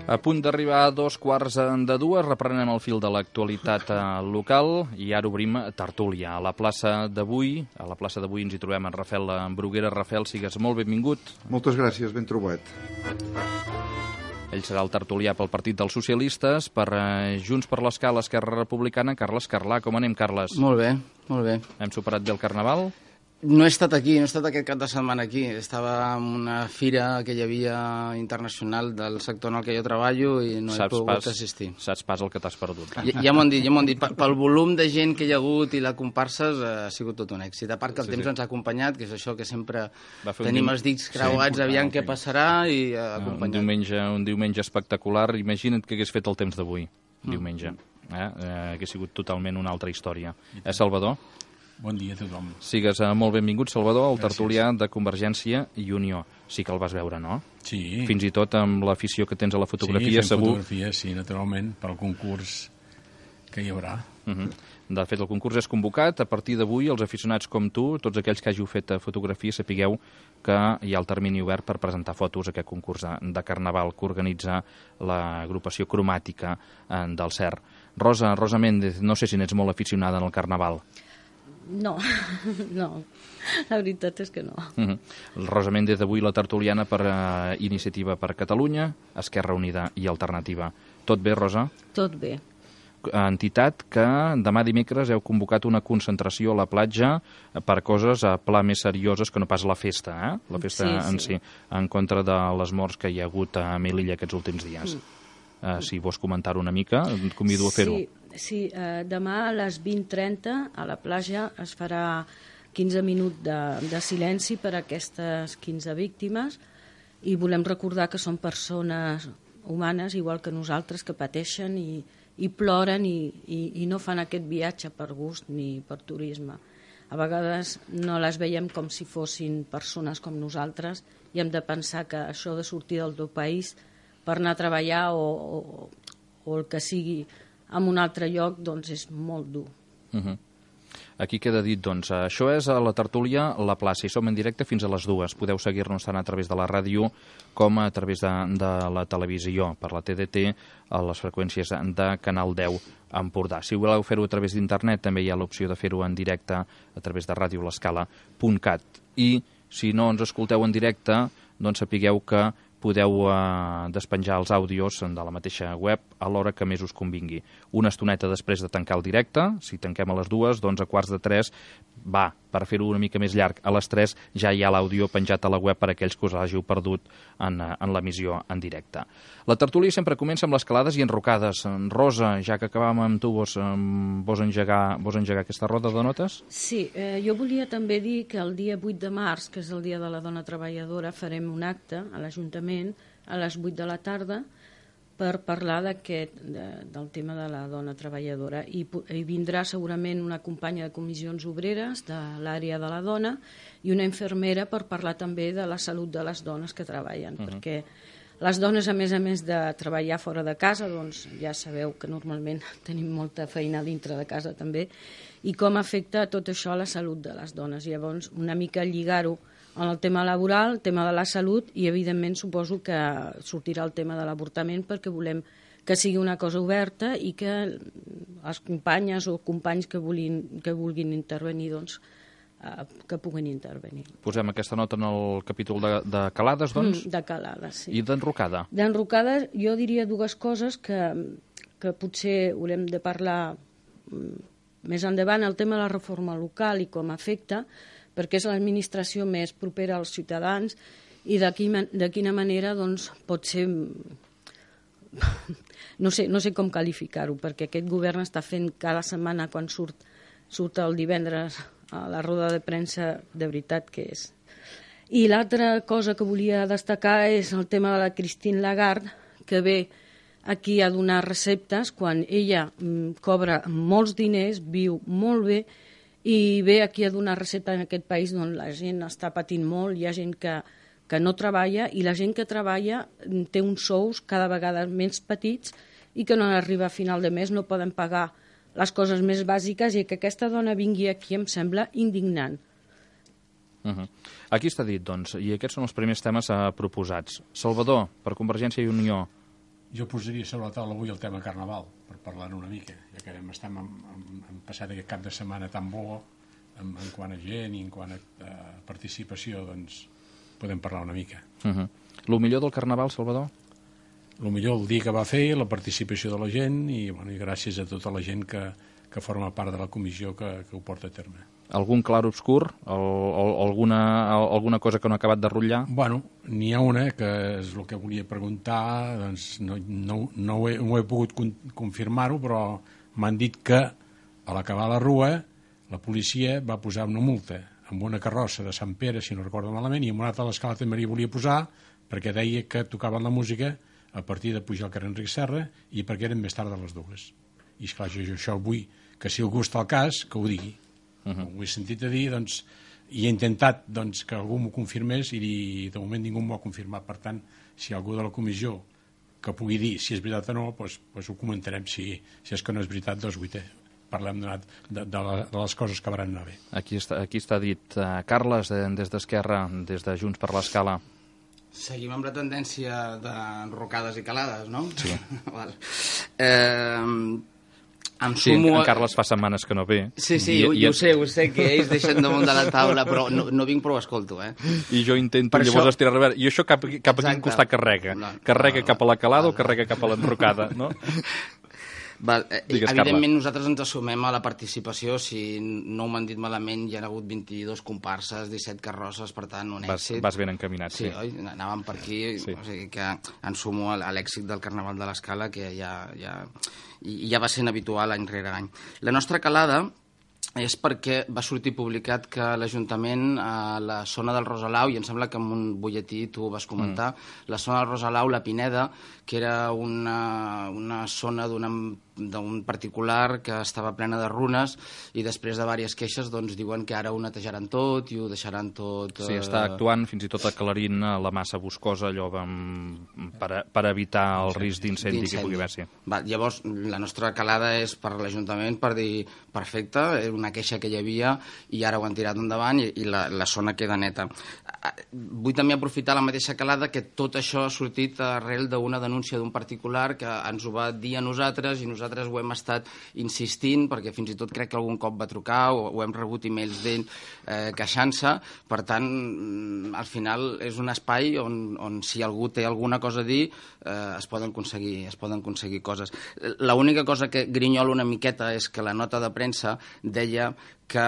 A punt d'arribar a 2:15, reprenem el fil de l'actualitat local i ara obrim tertúlia. A la plaça d'avui ens hi trobem en Rafael Bruguera. Rafael, sigues molt benvingut. Moltes gràcies, ben trobat. Ell serà el tertulià pel Partit dels Socialistes, per Junts per l'Escala, Esquerra Republicana, Carles Carlà. Com anem, Carles? Molt bé, molt bé. Hem superat bé el Carnaval? No he estat aquí, no he estat aquest cap de setmana aquí. Estava en una fira que hi havia internacional del sector en el que jo treballo i no he pogut assistir. Saps pas el que t'has perdut. Ja m'ho han dit. Pel volum de gent que hi ha hagut i la comparses ha sigut tot un èxit. A part que el temps ens ha acompanyat, que és això que sempre tenim els dits creuats, aviam què passarà i acompanyat. Un diumenge espectacular. Imagina't que hagués fet el temps d'avui, diumenge. Hagués sigut totalment una altra història. Salvador? Bon dia a tothom. Sigues molt benvingut, Salvador, el tertulià de Convergència i Unió. Sí que el vas veure, no? Sí. Fins i tot amb l'afició que tens a la fotografia, segur. Sí, naturalment, pel concurs que hi haurà. De fet, el concurs és convocat. A partir d'avui, els aficionats com tu, tots aquells que hàgiu fet fotografia, sapigueu que hi ha el termini obert per presentar fotos a aquest concurs de Carnaval que organitza l'agrupació cromàtica del CER. Rosa Méndez, no sé si n'ets molt aficionada en el Carnaval. No, la veritat és que no. Rosa Méndez, avui la tertuliana per Iniciativa per Catalunya, Esquerra Unida i Alternativa. Tot bé, Rosa? Tot bé. Entitat que demà dimecres heu convocat una concentració a la platja per coses a pla més serioses que no pas la festa, la festa en si, en contra de les morts que hi ha hagut a Melilla aquests últims dies. Si vols comentar-ho una mica, et convido a fer-ho. Sí, demà a les 20:30 a la platja es farà 15 minuts de silenci per a aquestes 15 víctimes i volem recordar que són persones humanes, igual que nosaltres, que pateixen i ploren i no fan aquest viatge per gust ni per turisme. A vegades no les veiem com si fossin persones com nosaltres i hem de pensar que això de sortir del teu país per anar a treballar o el que sigui en un altre lloc, doncs és molt dur. Aquí queda dit, doncs, això és a la tertúlia La Plaça i som en directe fins a les 2. Podeu seguir-nos tant a través de la ràdio com a través de la televisió, per la TDT, a les freqüències de Canal 10 Empordà. Si voleu fer-ho a través d'internet, també hi ha l'opció de fer-ho en directe a través de radiolescala.cat. I si no ens escolteu en directe, doncs sapigueu que podeu despenjar els àudios de la mateixa web a l'hora que més us convingui. Una estoneta després de tancar el directe, si tanquem a les 2, doncs a 2:45 va, per fer-ho una mica més llarg, a les 3 ja hi ha l'àudio penjat a la web per a aquells que us hàgiu perdut en l'emissió en directe. La tertúlia sempre comença amb les calades i enrocades. Rosa, ja que acabàvem amb tu, vols engegar aquesta roda de notes? Sí, jo volia també dir que el dia 8 de març, que és el dia de la dona treballadora, farem un acte a l'Ajuntament a les 8 de la tarda per parlar del tema de la dona treballadora i vindrà segurament una companya de comissions obreres de l'àrea de la dona i una infermera per parlar també de la salut de les dones que treballen, perquè les dones, a més de treballar fora de casa, doncs ja sabeu que normalment tenim molta feina dintre de casa també, i com afecta tot això a la salut de les dones. Llavors, una mica lligar-ho en el tema laboral, el tema de la salut i, evidentment, suposo que sortirà el tema de l'avortament perquè volem que sigui una cosa oberta i que les companyes o companys que vulguin intervenir, doncs, que puguin intervenir. Posem aquesta nota en el capítol de calades, doncs? De calades, sí. I d'enrocada? D'enrocada jo diria dues coses que potser haurem de parlar més endavant, el tema de la reforma local i com afecta, perquè és l'administració més propera als ciutadans i de quina manera doncs, pot ser... No sé com qualificar-ho, perquè aquest govern està fent cada setmana, quan surt el divendres a la roda de premsa, de veritat que és. I l'altra cosa que volia destacar és el tema de la Christine Lagarde, que ve aquí a donar receptes quan ella cobra molts diners, viu molt bé, i ve aquí a donar recepta en aquest país on la gent està patint molt, hi ha gent que no treballa i la gent que treballa té uns sous cada vegada més petits i que no arriba a final de mes, no poden pagar les coses més bàsiques i que aquesta dona vingui aquí em sembla indignant. Aquí està dit, doncs, i aquests són els primers temes proposats. Salvador, per Convergència i Unió, Jo posaria sobre la taula avui el tema Carnaval, per parlar-ne una mica, ja que hem passat aquest cap de setmana tan bo, en quant a gent i en quant a participació, doncs podem parlar una mica. Lo millor del Carnaval, Salvador? El millor el dia que va fer, la participació de la gent i gràcies a tota la gent que forma part de la comissió que ho porta a terme. Algun clar obscur? Alguna cosa que no ha acabat de rotllar? Bueno, n'hi ha una que és el que volia preguntar, doncs no ho he pogut confirmar-ho, però m'han dit que a l'acabar la rua la policia va posar una multa amb una carrossa de Sant Pere, si no recordo malament, i amb una altra a l'Escala també hi volia posar perquè deia que tocaven la música a partir de pujar al carrer Enric Serra i perquè eren més tard de les 2. I esclar, jo això vull que si algú està al cas, que ho digui. Ho he sentit a dir, doncs, i he intentat que algú m'ho confirmés i de moment ningú m'ho ha confirmat. Per tant, si hi ha algú de la comissió que pugui dir si és veritat o no, doncs ho comentarem. Si és que no és veritat, doncs parlem de les coses que van anar bé. Aquí està dit. Carles, des d'Esquerra, des de Junts per l'Escala. Seguim amb la tendència d'enrocades i calades, no? Sí. Sí, en Carles fa setmanes que no ve. Sí, ho sé, que ells deixen damunt de la taula, però no vinc, però ho escolto, I jo intento llavors estirar revers. I això cap a quin costat carrega? Carrega cap a la calada o carrega cap a l'enrocada, no? Evidentment nosaltres ens assumem a la participació. Si no m'han dit malament, hi ha hagut 22 comparses, 17 carrosses, per tant un èxit. Vas ben encaminat, sí. Oi? Anàvem per aquí, o sigui que em sumo a l'èxit del Carnaval de l'Escala, que ja va sent habitual any rere any. La nostra calada és perquè va sortir publicat que l'Ajuntament a la zona del Rosalau, i em sembla que en un butlletí tu ho vas comentar, la zona del Rosalau, la Pineda, que era una zona d'un particular que estava plena de runes, i després de diverses queixes doncs diuen que ara ho netejaran tot i ho deixaran tot... Sí, està actuant fins i tot aclarint la massa boscosa, allò per evitar el risc d'incendi que pugui haver-hi. Llavors, la nostra calada és per l'Ajuntament per dir, perfecte, era una queixa que hi havia i ara ho han tirat endavant i la zona queda neta. Vull també aprofitar la mateixa calada que tot això ha sortit arrel d'una denúncia d'un particular que ens ho va dir a nosaltres i nosaltres ho hem estat insistint, perquè fins i tot crec que algun cop va trucar o hem rebut e-mails d'ell queixant-se. Per tant, al final és un espai on si algú té alguna cosa a dir es poden aconseguir coses. L'única cosa que grinyolo una miqueta és que la nota de premsa deia que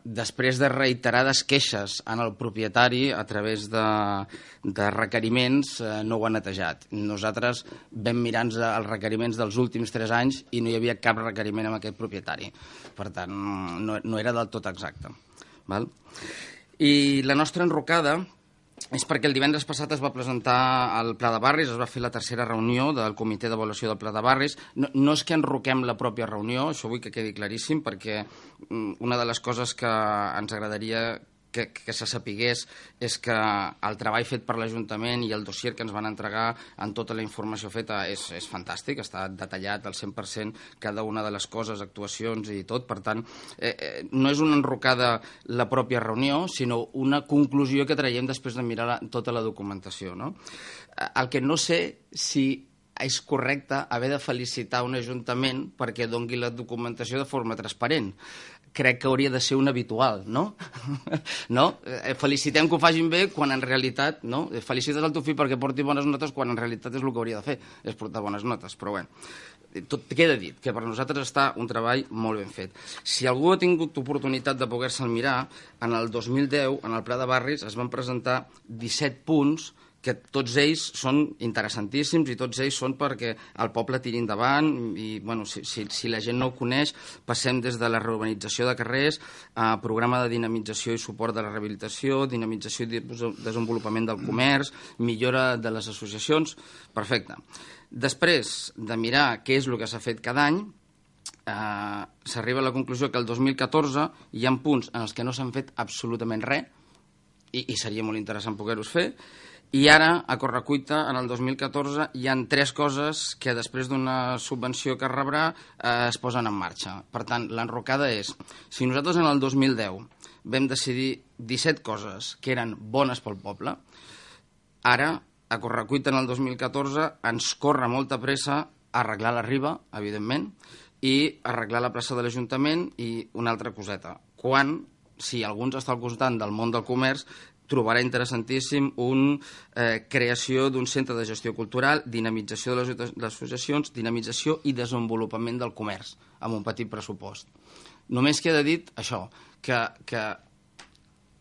després de reiterades queixes en el propietari a través de requeriments no ho ha netejat. Nosaltres vam mirar els requeriments dels últims 3 anys i no hi havia cap requeriment amb aquest propietari. Per tant, no era del tot exacte. I la nostra enrocada és perquè el divendres passat es va presentar al Pla de Barris, es va fer la 3a reunió del Comitè d'Avaluació del Pla de Barris. No és que enroquem la pròpia reunió, això vull que quedi claríssim, perquè una de les coses que ens agradaria que se sapigués és que el treball fet per l'Ajuntament i el dossier que ens van entregar amb tota la informació feta és fantàstic, està detallat al 100% cada una de les coses, actuacions i tot. Per tant, no és una enrocada la pròpia reunió, sinó una conclusió que traiem després de mirar tota la documentació, no? El que no sé si és correcte haver de felicitar un ajuntament perquè doni la documentació de forma transparent. Crec que hauria de ser un habitual, no? Felicitem que ho facin bé quan en realitat, no? Felicites el teu fill perquè porti bones notes quan en realitat és el que hauria de fer, és portar bones notes, però bé. Tot queda dit, que per nosaltres està un treball molt ben fet. Si algú ha tingut oportunitat de poder-se'l mirar, en el 2010, en el Pla de Barris, es van presentar 17 punts que tots ells són interessantíssims i tots ells són perquè el poble tiri endavant i, bueno, si la gent no ho coneix, passem des de la reurbanització de carrers a programa de dinamització i suport de la rehabilitació, dinamització i desenvolupament del comerç, millora de les associacions, perfecte. Després de mirar què és el que s'ha fet cada any, s'arriba a la conclusió que el 2014 hi ha punts en els que no s'han fet absolutament res i seria molt interessant poder-los fer. I ara, a correcuita, en el 2014, hi ha 3 coses que després d'una subvenció que rebrà es posen en marxa. Per tant, l'enrocada és, si nosaltres en el 2010 vam decidir 17 coses que eren bones pel poble, ara a correcuita en el 2014 ens corre molta pressa arreglar la Riba, evidentment, i arreglar la plaça de l'Ajuntament i una altra coseta. Quan, si algú ens està al costat del món del comerç, trobarà interessantíssim creació d'un centre de gestió cultural, dinamització de les associacions, dinamització i desenvolupament del comerç, amb un petit pressupost. Només queda dit això, que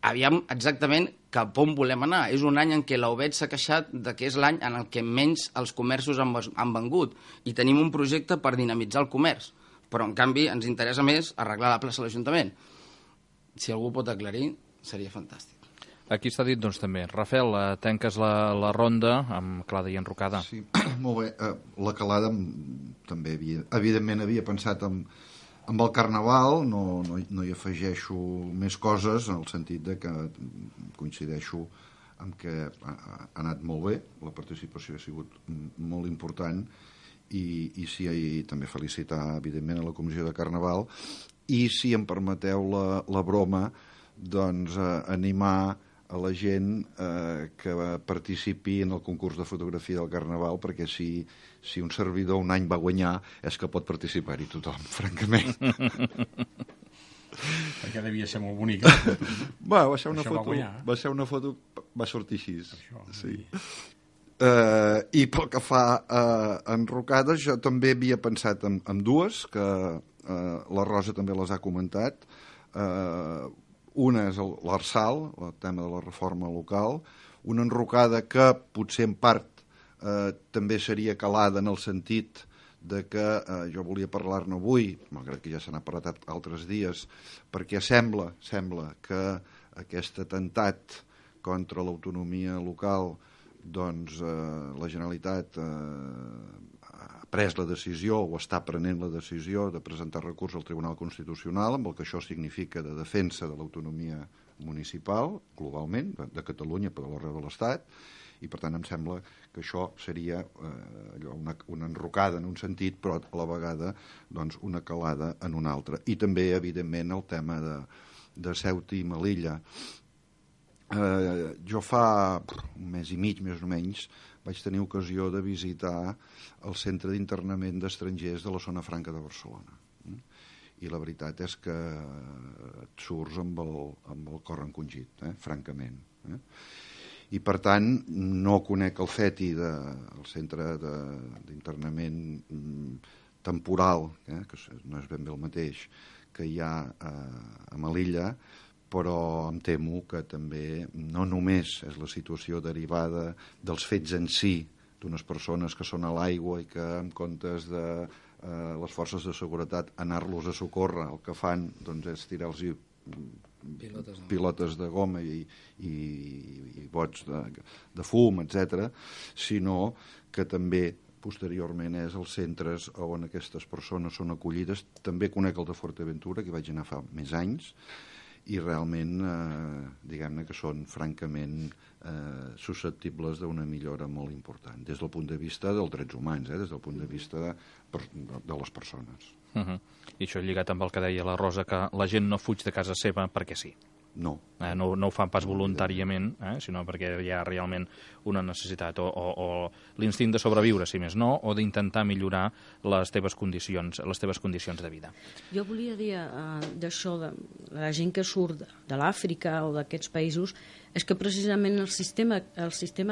aviam exactament cap on volem anar. És un any en què l'Ovet s'ha queixat que és l'any en el que menys els comerços han vengut i tenim un projecte per dinamitzar el comerç, però en canvi ens interessa més arreglar la plaça de l'Ajuntament. Si algú pot aclarir, seria fantàstic. Aquí està dit, doncs, també. Rafael, tanques la ronda amb Clada i Enrocada. Sí, molt bé. La Calada també evidentment havia pensat amb el Carnaval, no hi afegeixo més coses, en el sentit de que coincideixo amb que ha anat molt bé, la participació ha sigut molt important, i sí, també felicitar, evidentment, a la Comissió de Carnaval, i, si em permeteu la broma, doncs animar a la gent que participi en el concurs de fotografia del Carnaval, perquè si un servidor un any va guanyar és que pot participar-hi tothom, francament. Perquè devia ser molt bonica. Va ser una foto, va sortir així. Sí. I pel que fa a enrocades, jo també havia pensat en dues, que la Rosa també les ha comentat. Una és l'Arsal, el tema de la reforma local, una enrocada que potser en part també seria calada en el sentit de que jo volia parlar-ne avui, malgrat que ja se n'ha parlat altres dies, perquè sembla que aquest atemptat contra l'autonomia local, doncs la Generalitat ha pres la decisió o està prenent la decisió de presentar recurs al Tribunal Constitucional, amb el que això significa de defensa de l'autonomia municipal, globalment, de Catalunya, però arreu de l'Estat, i per tant em sembla que això seria una enrocada en un sentit, però a la vegada doncs, una calada en un altre. I també, evidentment, el tema de Ceuta i Melilla. Jo fa un mes i mig, més o menys, vaig tenir ocasió de visitar el centre d'internament d'estrangers de la zona franca de Barcelona. I la veritat és que et surts amb el cor encongit, francament. I per tant no conec el CETI, el centre d'internament temporal, que no és ben bé el mateix que hi ha a Melilla, però em temo que també no només és la situació derivada dels fets en si, d'unes persones que són a l'aigua i que en comptes de les forces de seguretat anar-los a socórrer, el que fan doncs, és tirar-los pilotes de goma i bots de fum, etc., sinó que també posteriorment és els centres on aquestes persones són acollides. També conec el de Fuerteventura, que vaig anar fa més anys, i realment, diguem-ne que són francament susceptibles d'una millora molt important, des del punt de vista dels drets humans, des del punt de vista de les persones. I això lligat amb el que deia la Rosa, que la gent no fuig de casa seva perquè sí. No. No ho fan pas voluntàriament, sinó perquè hi ha realment una necessitat, o l'instint de sobreviure, si més no, o d'intentar millorar les teves condicions de vida. Jo volia dir d'això, de la gent que surt de l'Àfrica o d'aquests països, és que precisament el sistema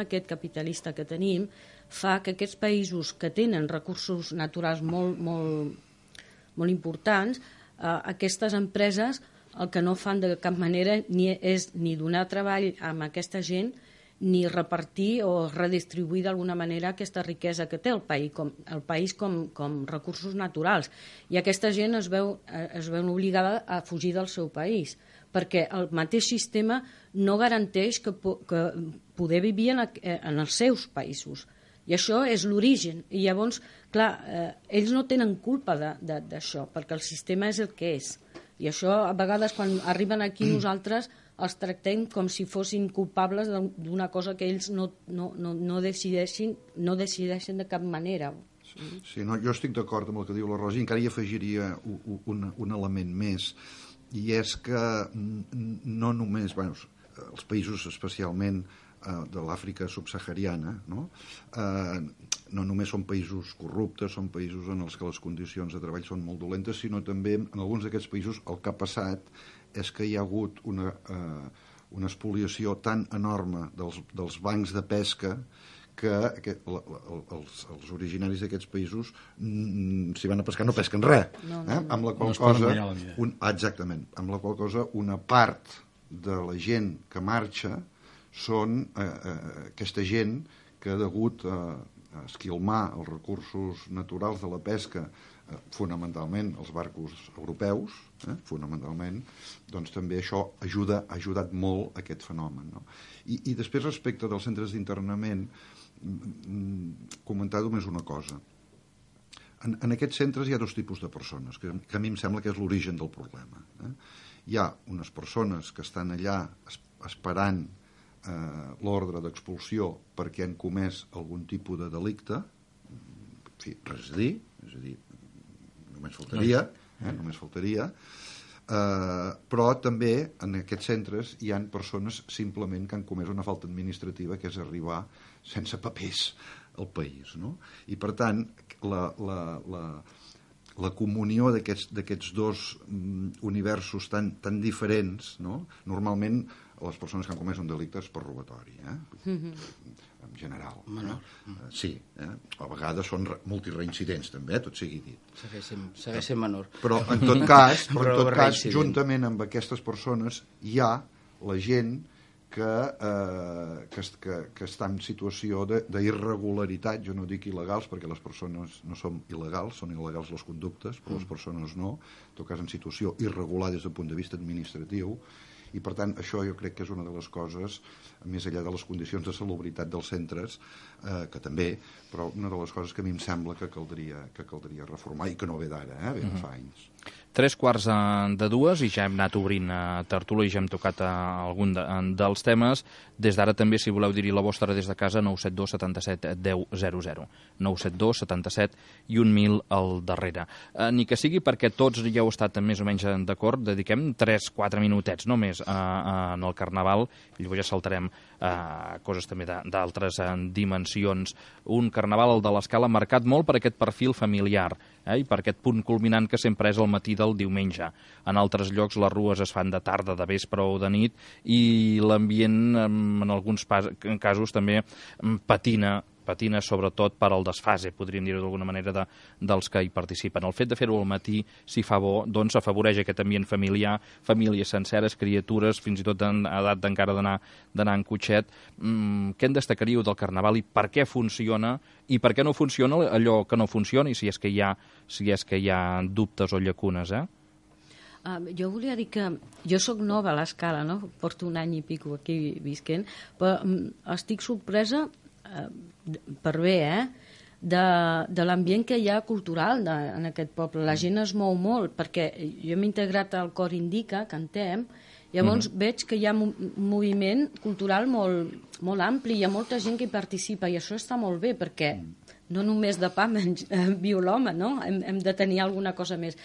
aquest capitalista que tenim fa que aquests països que tenen recursos naturals molt importants, aquestes empreses el que no fan de cap manera és ni donar treball a aquesta gent ni repartir o redistribuir d'alguna manera aquesta riquesa que té el país com recursos naturals. I aquesta gent es veu obligada a fugir del seu país, perquè el mateix sistema no garanteix que poder vivir en els seus països. I això és l'origen. I llavors, clar, ells no tenen culpa d'això, perquè el sistema és el que és. I això, a vegades, quan arriben aquí, nosaltres els tractem com si fossin culpables d'una cosa que ells no decideixen de cap manera. Sí, no, jo estic d'acord amb el que diu la Rosa, i encara hi afegiria un element més, i és que no només, els països especialment de l'Àfrica subsahariana, no? No només són països corruptes, són països en els que les condicions de treball són molt dolentes, sinó també en alguns d'aquests països el que ha passat és que hi ha hagut una espoliació tan enorme dels bancs de pesca que els originaris d'aquests països, si van a pescar, no pesquen res. Amb la qual cosa, exactament, amb la qual cosa una part de la gent que marxa són aquesta gent que degut a esquilmar els recursos naturals de la pesca, fonamentalment els barcos europeus, fonamentalment, doncs també això ha ajudat molt a aquest fenomen. No? I després, respecte dels centres d'internament, comentar només una cosa. En aquests centres hi ha dos tipus de persones, que a mi em sembla que és l'origen del problema. Hi ha unes persones que estan allà esperant l'ordre d'expulsió perquè han comès algun tipus de delicte, en fi, res a dir, és a dir, només faltaria, però també en aquests centres hi han persones simplement que han comès una falta administrativa, que és arribar sense papers al país, no? I per tant la comunió d'aquests dos universos tan diferents, no? Normalment les persones que han comès un delicte és per robatori, en general. Sí, a vegades són multireincidents també, tot sigui dit. Segueix sent menor. Però en tot cas, juntament amb aquestes persones hi ha la gent que està en situació d'irregularitat, jo no dic il·legals perquè les persones no són il·legals, són il·legals les conductes, però les persones no, en tot cas en situació irregular des del punt de vista administratiu, i per tant això jo crec que és una de les coses, més enllà de les condicions de salubritat dels centres, que també, però una de les coses que a mi em sembla que caldria reformar i que no ve d'ara, ve de fa anys. 3:45 i ja hem anat obrint tertúlia i ja hem tocat algun dels temes. Des d'ara també, si voleu dir-hi la vostra des de casa, 972 77 10 00. 972 77 i 1000 al darrere. Ni que sigui perquè tots ja heu estat més o menys d'acord, dediquem 3-4 minutets només en el Carnaval, i llavors ja saltarem coses també d'altres dimensions. Un Carnaval, el de l'Escala, marcat molt per aquest perfil familiar, i per aquest punt culminant que sempre és el matí del diumenge. En altres llocs les rues es fan de tarda, de vespre o de nit, i l'ambient en alguns casos també patina sobretot per al desfase, podríem dir-ho d'alguna manera, dels que hi participen. El fet de fer-ho al matí, si fa bo, doncs afavoreix aquest ambient familiar, famílies senceres, criatures, fins i tot en edat encara d'anar en cotxet. Què en destacaríeu del Carnaval i per què funciona i per què no funciona allò que no funciona, i si és que hi ha dubtes o llacunes, Jo volia dir que jo sóc nova a l'Escala, no? Porto un any i pico aquí visquent, però estic sorpresa per bé, de l'ambient que hi ha cultural en aquest poble. La gent es mou molt, perquè jo m'he integrat al cor Indica, cantem, llavors veig que hi ha un moviment cultural molt ampli, hi ha molta gent que hi participa, i això està molt bé, perquè no només de pa viu l'home, no? Hem de tenir alguna cosa més.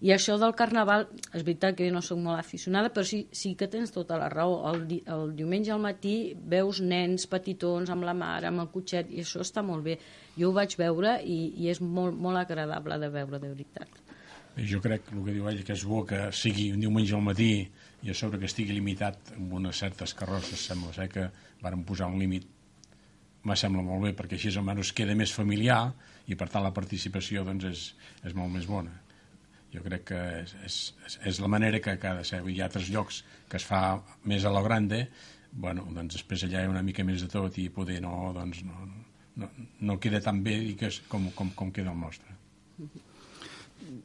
I això del Carnaval, és veritat que jo no soc molt aficionada, però sí que tens tota la raó. El diumenge al matí veus nens petitons amb la mare, amb el cotxet, i això està molt bé. Jo ho vaig veure i és molt, molt agradable de veure, de veritat. Jo crec que el que diu ell, que és bo que sigui un diumenge al matí i a sobre que estigui limitat amb unes certes carrosses, sembla ser que varen posar un límit. Me sembla molt bé, perquè així almenys queda més familiar i per tant la participació doncs, és molt més bona. Jo crec que és la manera que ha de ser. Hi ha altres llocs que es fa més a lo grande, bueno, doncs després allà hi ha una mica més de tot i poder no queda tan bé com queda el nostre.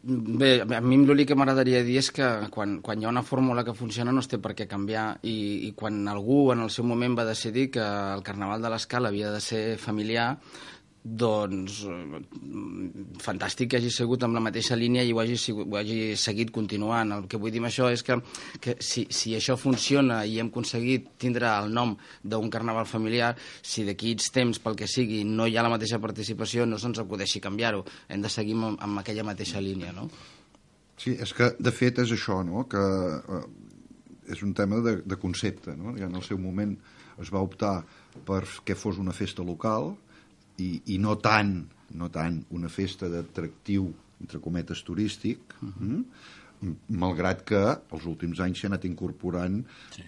Bé, a mi l'únic que m'agradaria dir és que quan hi ha una fórmula que funciona no es té per què canviar, i quan algú en el seu moment va decidir que el Carnaval de l'Escala havia de ser familiar, doncs fantàstic que hagi sigut amb la mateixa línia i ho hagi seguit continuant. El que vull dir amb això és que si això funciona i hem aconseguit tindre el nom d'un carnaval familiar, si d'aquí temps, pel que sigui, no hi ha la mateixa participació, no se'ns acudeixi canviar-ho, hem de seguir amb aquella mateixa línia, no? Sí, és que de fet és això, no? Que és un tema de concepte, no? En el seu moment es va optar per que fos una festa local i no tant una festa d'atractiu, entre cometes, turístic, malgrat que els últims anys s'ha anat incorporant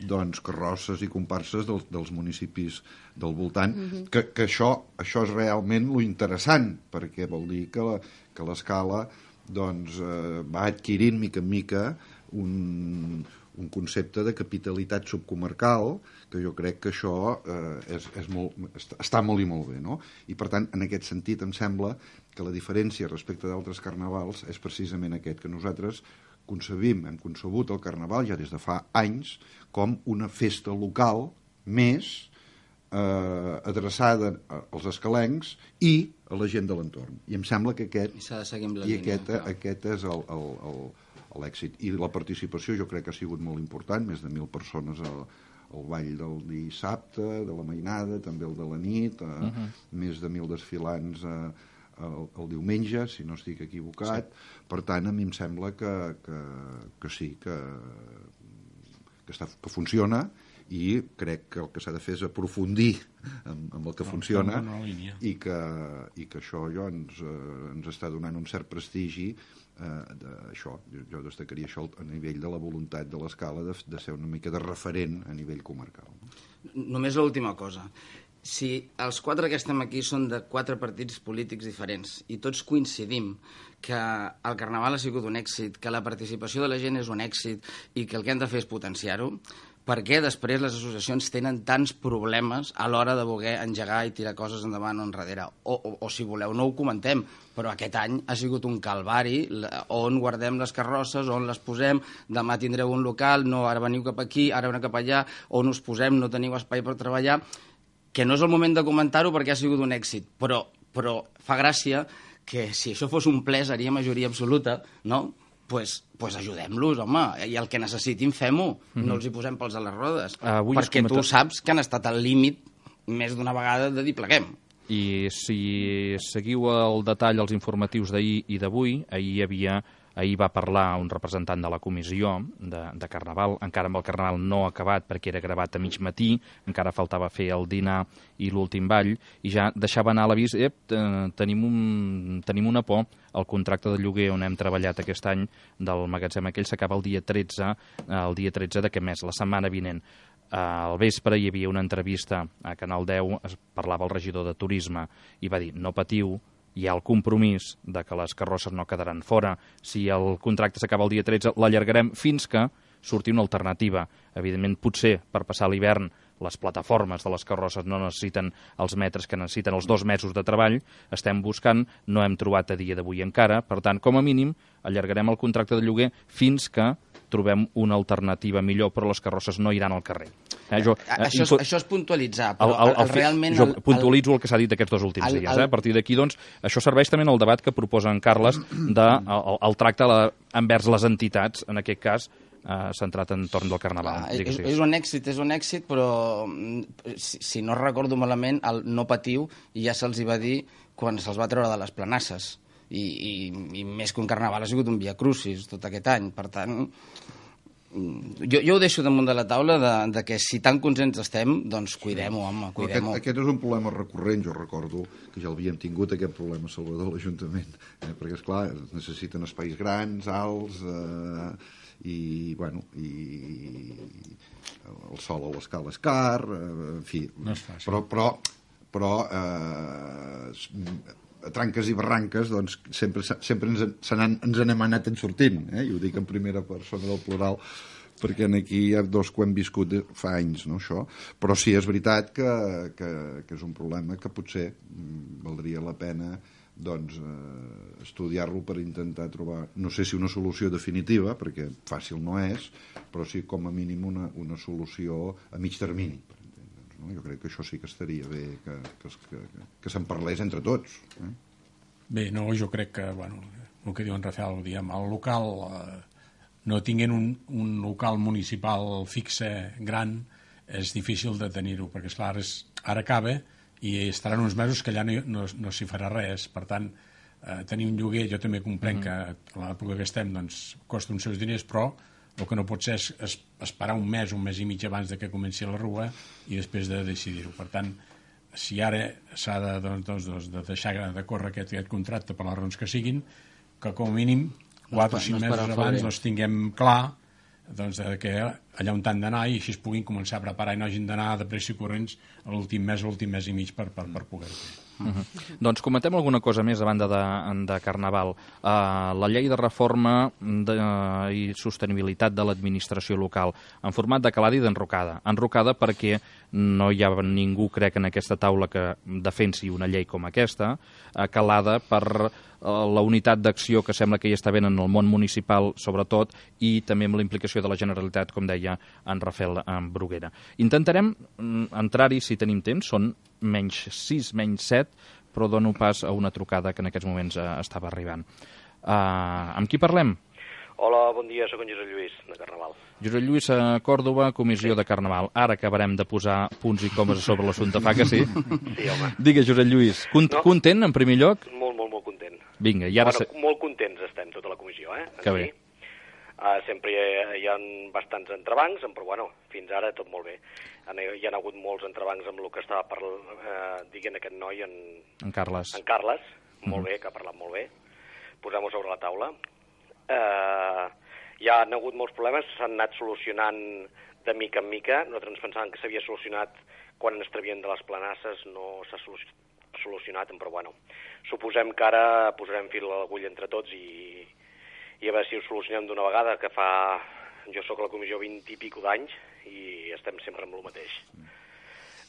doncs, carrosses i comparses dels municipis del voltant, que això és realment lo interessant, perquè vol dir que l'Escala doncs, va adquirint mica en mica un concepte de capitalitat subcomarcal, que jo crec que això està molt i molt bé, no? I per tant, en aquest sentit, em sembla que la diferència respecte d'altres carnavals és precisament aquest, que nosaltres hem concebut el carnaval ja des de fa anys com una festa local més adreçada als escalencs i a la gent de l'entorn. I em sembla que aquest és l'èxit. I la participació jo crec que ha sigut molt important, més de 1.000 persones al ball del dissabte, de la mainada, també el de la nit, més de 1.000 desfilants el diumenge, si no estic equivocat. Per tant, a mi em sembla que sí, que funciona, i crec que el que s'ha de fer és aprofundir amb el que funciona i que això ens està donant un cert prestigi. Jo destacaria això a nivell de la voluntat de l'Escala de ser una mica de referent a nivell comarcal. Només l'última cosa. Si els 4 que estem aquí són de 4 partits polítics diferents i tots coincidim que el Carnaval ha sigut un èxit, que la participació de la gent és un èxit i que el que hem de fer és potenciar-ho, per què després les associacions tenen tants problemes a l'hora de voler engegar i tirar coses endavant o enrere? O si voleu, no ho comentem, però aquest any ha sigut un calvari on guardem les carrosses, on les posem, demà tindreu un local, no, ara veniu cap aquí, ara veniu cap allà, on us posem, no teniu espai per treballar, que no és el moment de comentar-ho perquè ha sigut un èxit, però fa gràcia que si això fos un ple seria majoria absoluta, no? Pues ajudem-los, home, i el que necessitin fem-ho, no els hi posem pels a les rodes, perquè tu saps que han estat al límit més d'una vegada de dir pleguem. I si seguiu el detall als informatius d'ahir i d'avui, ahir va parlar un representant de la comissió de Carnaval, encara amb el Carnaval no acabat perquè era gravat a mig matí, encara faltava fer el dinar i l'últim ball, i ja deixava anar a l'avís, tenim una por, el contracte de lloguer on hem treballat aquest any del magatzem aquell s'acaba el dia 13 d'aquest mes, la setmana vinent. Al vespre hi havia una entrevista a Canal 10, es parlava el regidor de Turisme i va dir, no patiu, hi ha el compromís de que les carrosses no quedaran fora. Si el contracte s'acaba el dia 13, l'allargarem fins que surti una alternativa. Evidentment, potser per passar l'hivern les plataformes de les carrosses no necessiten els metres que necessiten els 2 mesos de treball, estem buscant, no hem trobat a dia d'avui encara, per tant, com a mínim, allargarem el contracte de lloguer fins que trobem una alternativa millor, però les carrosses no iran al carrer. Això és puntualitzar, però realment... Jo puntualitzo el que s'ha dit aquests 2 últims dies. A partir d'aquí, doncs, això serveix també en el debat que proposa en Carles del tracte envers les entitats, en aquest cas, centrat entorn del Carnaval. És un èxit, però si no recordo malament, el no patiu ja se'ls va dir quan se'ls va treure de les planasses. I més que un Carnaval ha sigut un Via Crucis tot aquest any. Per tant, jo ho deixo damunt de la taula de que si tan conscients estem, doncs cuidem-ho, home, cuidem-ho. Aquest és un problema recurrent, jo recordo que ja l'havíem tingut, aquest problema, Salvador, a l'Ajuntament, perquè, esclar, necessiten espais grans, alts, i el sol a l'escala és car, en fi, no és fàcil. però a tranques i barranques doncs sempre ens n'hem anat en sortint, i ho dic en primera persona del plural perquè aquí hi ha 2 que ho hem viscut fa anys, no, això, però sí, és veritat que és un problema que potser valdria la pena doncs estudiar-lo per intentar trobar, no sé si una solució definitiva, perquè fàcil no és, però sí com a mínim una solució a mig termini, per entendre'ns, no? Jo crec que això sí que estaria bé que se'n parlés entre tots. Bé, no, jo crec que, bueno, el que diu en Rafael, diguem, el local, no tinguent un local municipal fixe gran, és difícil de tenir-ho, perquè esclar, ara acaba i estaran uns mesos que allà no s'hi farà res. Per tant, tenir un lloguer, jo també comprenc que a l'època que estem doncs, costa uns seus diners, però el que no pot ser és esperar un mes i mig abans de que comenci la rua i després de decidir-ho. Per tant, si ara s'ha de deixar de córrer aquest contracte per les raons que siguin, que com a mínim 4 o 5 mesos abans tinguem clar que allà on han d'anar i així es puguin començar a preparar i no hagin d'anar de pressa i corrents a l'últim mes i mig per poder-ho fer. Doncs comentem alguna cosa més a banda de Carnaval. La llei de reforma i sostenibilitat de l'administració local en format de calada i d'enrocada. Enrocada perquè no hi ha ningú, crec, en aquesta taula que defensi una llei com aquesta, calada per la unitat d'acció que sembla que hi està havent en el món municipal, sobretot, i també amb la implicació de la Generalitat, com deia en Rafael Bruguera. Intentarem entrar-hi si tenim temps, són menys 6, menys 7, però dono pas a una trucada que en aquests moments estava arribant. Amb qui parlem? Hola, bon dia, soc en Josep Lluís, de Carnaval. Josep Lluís, Còrdova, comissió de Carnaval. Ara acabarem de posar punts i comes sobre l'assumpte, fa que sí? Sí, home. Digues, Josep Lluís, content en primer lloc? Molt content. Vinga, i ara... Molt contents estem, tota la comissió, Que bé. Sempre hi ha bastants entrebancs, però bueno, fins ara tot molt bé. Hi ha hagut molts entrebancs amb el que estava dient aquest noi, en Carles. En Carles, molt bé, que ha parlat molt bé. Posem-ho sobre la taula. Hi ha hagut molts problemes, s'han anat solucionant de mica en mica. Nosaltres ens pensàvem que s'havia solucionat quan ens trevien de les planasses, no s'ha solucionat, però bueno, suposem que ara posarem fil a l'agulla entre tots i a veure si ho solucionem d'una vegada, que jo sóc a la comissió 20 i pico d'anys i estem sempre amb el mateix.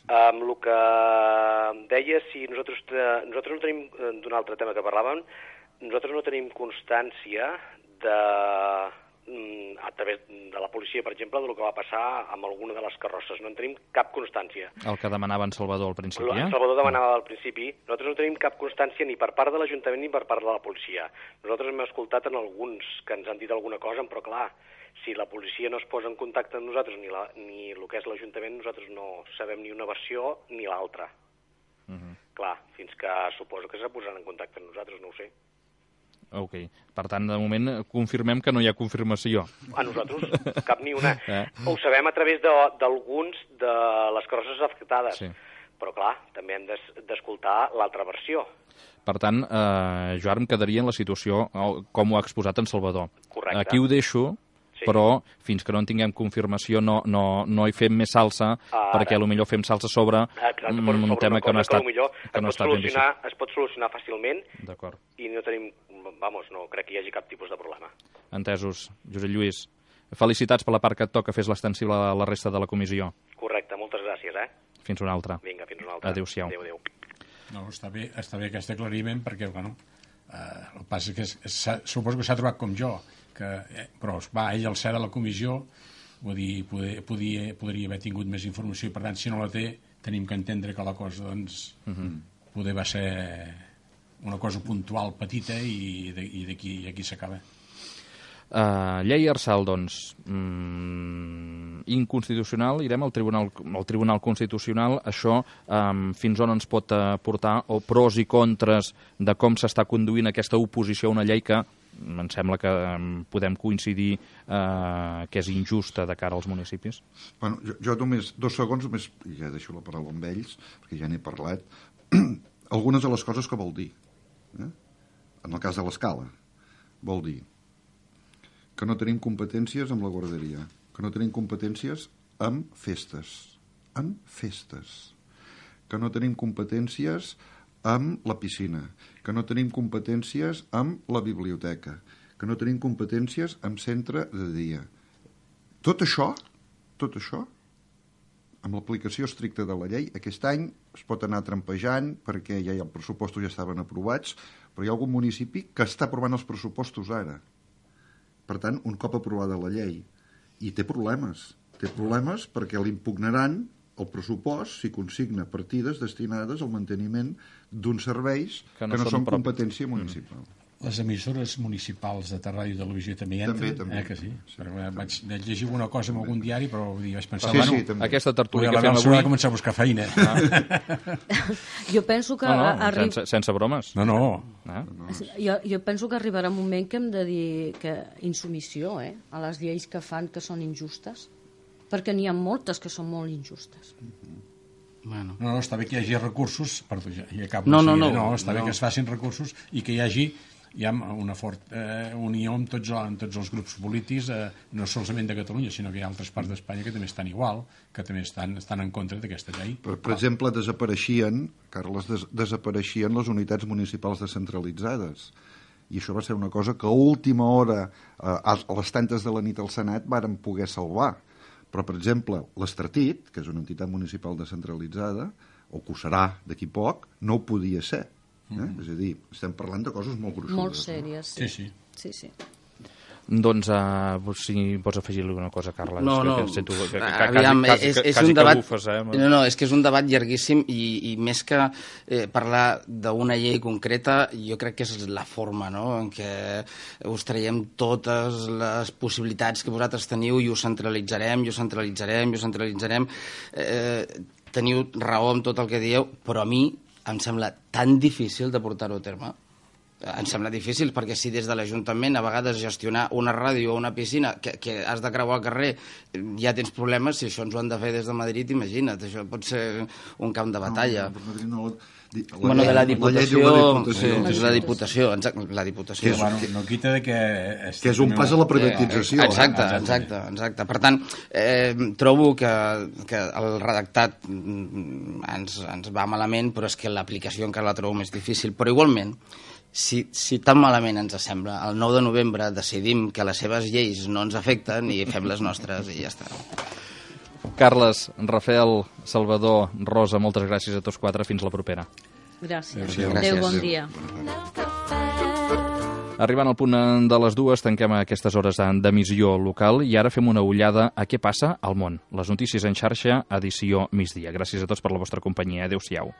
Amb el que deia, si nosaltres no tenim, d'un altre tema que parlàvem, nosaltres no tenim constància a través de la policia, per exemple, del que va passar amb alguna de les carrosses. No en tenim cap constància. El que demanava en Salvador al principi, En Salvador demanava al principi. Nosaltres no tenim cap constància ni per part de l'Ajuntament ni per part de la policia. Nosaltres hem escoltat en alguns que ens han dit alguna cosa, però clar, si la policia no es posa en contacte amb nosaltres ni el que és l'Ajuntament, nosaltres no sabem ni una versió ni l'altra. Clar, fins que suposo que se posaran en contacte amb nosaltres, no ho sé. Ok. Per tant, de moment, confirmem que no hi ha confirmació. A nosaltres, cap ni una. Ho sabem a través d'alguns de les carrosses afectades. Sí. Però, clar, també hem d'escoltar l'altra versió. Per tant, jo ara em quedaria en la situació com ho ha exposat en Salvador. Correcte. Aquí ho deixo, sí. Però fins que no en tinguem confirmació no hi fem més salsa, perquè potser fem salsa sobre un tema que no ha estat ben vist. Es pot solucionar fàcilment i no tenim, no crec que hi hagi cap tipus de problema. Entesos. Josep Lluís, felicitats per la part que et toca, fes l'extensible a la resta de la comissió. Correcte, moltes gràcies, Fins una altra. Vinga, fins una altra. Adéu-siau. Adéu. No, està bé aquest aclariment perquè, el que passa és que suposo que s'ha trobat com jo, però ell al ser de la comissió podria haver tingut més informació i per tant si no la té tenim que entendre que la cosa poder va ser una cosa puntual petita i aquí s'acaba. Llei Arsal, doncs, inconstitucional, irem al Tribunal Constitucional, això fins on ens pot portar, o pros i contres de com s'està conduint aquesta oposició a una llei que em sembla que podem coincidir que és injusta de cara als municipis. Bueno, jo només 2 segons, ja deixo la paraula amb ells, perquè ja n'he parlat, algunes de les coses que vol dir. En el cas de l'escala, vol dir que no tenim competències amb la guarderia, que no tenim competències amb festes, que no tenim competències amb la piscina, que no tenim competències amb la biblioteca, que no tenim competències amb centre de dia. Tot això, amb l'aplicació estricta de la llei, aquest any es pot anar trampejant perquè ja els pressupostos ja estaven aprovats, però hi ha algun municipi que està aprovant els pressupostos ara. Per tant, un cop aprovada la llei, i té problemes perquè l'impugnaran el pressupost si consigna partides destinades al manteniment d'uns serveis que no són competència municipal. les emissores municipals de Ràdio i Televisió també entren? També. Que sí. Vaig llegir alguna cosa en algun diari, però vaig pensar... Sí, també. Aquesta tertúlia que fem avui... Va començar a buscar feina. Jo penso que... sense bromes. No. Jo penso que arribarà un moment que hem de dir que insubmissió, a les lleis que fan que són injustes, perquè n'hi ha moltes que són molt injustes. Bueno. No, està bé que hi hagi recursos, perdó, ja acabo. Està bé que es facin recursos i que hi hagi una forta unió amb tots els grups polítics, no solament de Catalunya, sinó que hi ha altres parts d'Espanya que també estan igual, que també estan en contra d'aquesta llei. Per exemple, desapareixien les unitats municipals descentralitzades. I això va ser una cosa que a última hora, a les tantes de la nit al Senat, varen poder salvar. Però, per exemple, l'Estratit, que és una entitat municipal descentralitzada, o que ho serà d'aquí poc, no ho podia ser. És a dir, estem parlant de coses molt gruixudes. Molt sèries, sí. Doncs, si pots afegir alguna cosa, Carles. Aviam, és un debat... No, és que és un debat llarguíssim i més que parlar d'una llei concreta, jo crec que és la forma, no?, en què us traiem totes les possibilitats que vosaltres teniu i ho centralitzarem. Teniu raó amb tot el que dieu, però a mi em sembla tan difícil de portar-ho a terme. Em sembla difícil, perquè si des de l'Ajuntament a vegades gestionar una ràdio o una piscina que has de creuar el carrer ja tens problemes, si això ens ho han de fer des de Madrid, imagina't, això pot ser un camp de batalla. De la Diputació. La Diputació. No quita de que... Que és un pas a la privatització. Exacte. Per tant, trobo que el redactat ens va malament, però és que l'aplicació encara la trobo més difícil. Però igualment, si tan malament ens sembla, el 9 de novembre decidim que les seves lleis no ens afecten i fem les nostres i ja està. Carles, Rafael, Salvador, Rosa, moltes gràcies a tots quatre. Fins la propera. Gràcies. Adéu, bon dia. Arribant al punt de les 2, tanquem aquestes hores d'emissió local i ara fem una ullada a què passa al món. Les notícies en xarxa, edició migdia. Gràcies a tots per la vostra companyia. Adéu-siau.